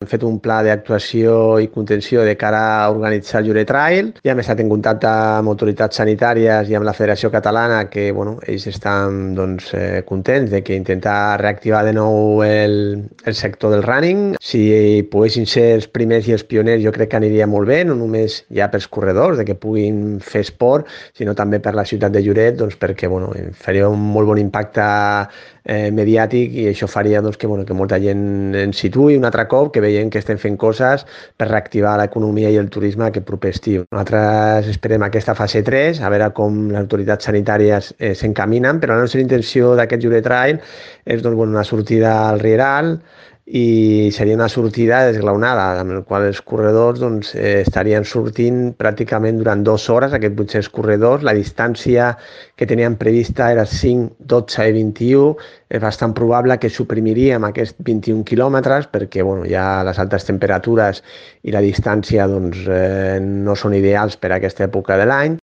Hem fet un pla d'actuació i contenció de cara a organitzar el Lloret Trail. Ja hem estat en contacte amb autoritats sanitàries i amb la Federació Catalana, que ells estan contents de que intentar reactivar de nou el sector del running. Si poguessin ser els primers i els pioners, jo crec que aniria molt bé, no només ja pels corredors, de que puguin fer esport, sinó també per la ciutat de Lloret, perquè faria un molt bon impacte mediàtic i això faria que molta gent ens situï un altre cop, que veiem que estem fent coses per reactivar l'economia i el turisme aquest proper estiu. Nosaltres esperem aquesta fase 3, a veure com les autoritats sanitàries s'encaminen, però la nostra intenció d'aquest Lloret Trail és una sortida al Rieral, i seria una sortida desglaonada, amb la qual els corredors estarien sortint pràcticament durant 2 hores, aquests 800 corredors. La distància que teníem prevista era 5, 12 i 21. És bastant probable que suprimiríem aquests 21 quilòmetres perquè ja les altes temperatures i la distància no són ideals per a aquesta època de l'any.